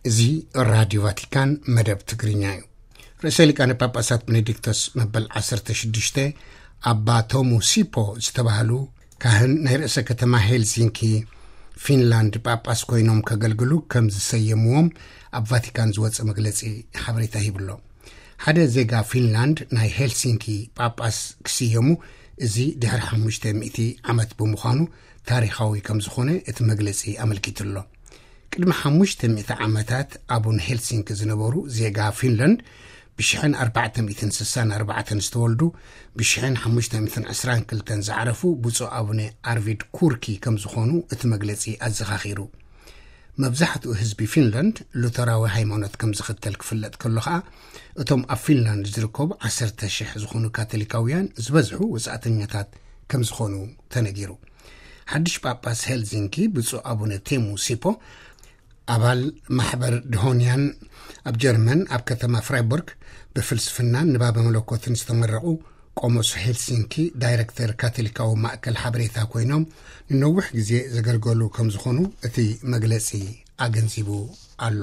እዚ ራድዮ ቫቲካን መደብ ትግርኛ እዩ። ርእሰ ሊቃነ ጳጳሳት ቤኔዲክቶስ መበል ዓሰርተ ሽዱሽተ ኣባ ቶሙ ሲፖ ዝተባህሉ ካህን ናይ ርእሰ ከተማ ሄልሲንኪ ፊንላንድ ጳጳስ ኮይኖም ከገልግሉ ከም ዝሰየምዎም ኣብ ቫቲካን ዝወፀ መግለፂ ሓበሬታ ሂብሎ። ሓደ ዜጋ ፊንላንድ ናይ ሄልሲንኪ ጳጳስ ክስየሙ፣ እዚ ድሕሪ ሓሙሽተ ሚእቲ ዓመት ብምዃኑ ታሪኻዊ ከም ዝኾነ እቲ መግለፂ ኣመልኪቱ ኣሎ። ቅድሚ ሓሙሽተ ሚእቲ ዓመታት ኣቡን ሄልሲንኪ ዝነበሩ ዜጋ ፊንላንድ፣ ብሽሕን ኣርባዕተ ሚእትን ስሳን ኣርባዕተን ዝተወልዱ፣ ብሽሕን ሓሙሽተ ሚእትን ዕስራን ክልተን ዝዓረፉ ብፁዕ ኣቡነ ኣርቪድ ኩርኪ ከም ዝኾኑ እቲ መግለፂ ኣዘኻኺሩ። መብዛሕትኡ ህዝቢ ፊንላንድ ሉተራዊ ሃይማኖት ከም ዝኽተል ክፍለጥ ከሎ ኸኣ፣ እቶም ኣብ ፊንላንድ ዝርከቡ ዓሰርተ ሽሕ ዝኾኑ ካቶሊካውያን ዝበዝሑ ወጻእተኛታት ከም ዝኾኑ ተነጊሩ። ሓድሽ ጳጳስ ሄልሲንኪ ብፁዕ ኣቡነ ቴሙ ሲፖ፣ ኣባል ማሕበር ድሆንያን፣ ኣብ ጀርመን ኣብ ከተማ ፍራይቡርግ ብፍልስፍናን ንባበ መለኮትን ዝተመረቑ፣ ቆሞስ ሄልሲንኪ ዳይሬክተር ካቶሊካዊ ማእከል ሓበሬታ ኮይኖም ንነዊሕ ግዜ ዘገልገሉ ከም ዝኾኑ እቲ መግለጺ ኣገንዚቡ ኣሎ።